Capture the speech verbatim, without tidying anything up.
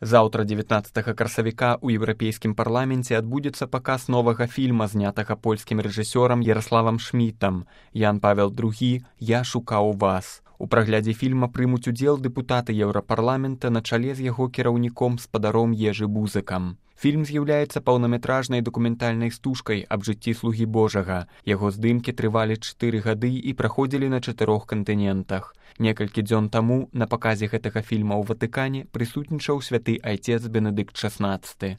Заўтра дзевятнаццатага красавіка ў еўрапейскім парламенце адбудзецца паказ новага фільма, знятага польскім рэжысёрам Яраславам Шмітам «Ян Павел другі. Я шукаў вас». У праглядзе фільма прымуць удзел дэпутаты Еўрапарламента на чале з яго кіраўніком спадаром Ежы Бузыкам. Фільм з'яўляецца паўнаметражнай дакументальнай стужкай аб жыцці слугі Божага. Яго здымкі трывалі чатыры гады і праходзілі на чатырох кантынентах. Некалькі дзён таму на паказе гэтага фільма ў Ватыкане прысутнічаў святы айцец Бенедыкт шаснаццаты.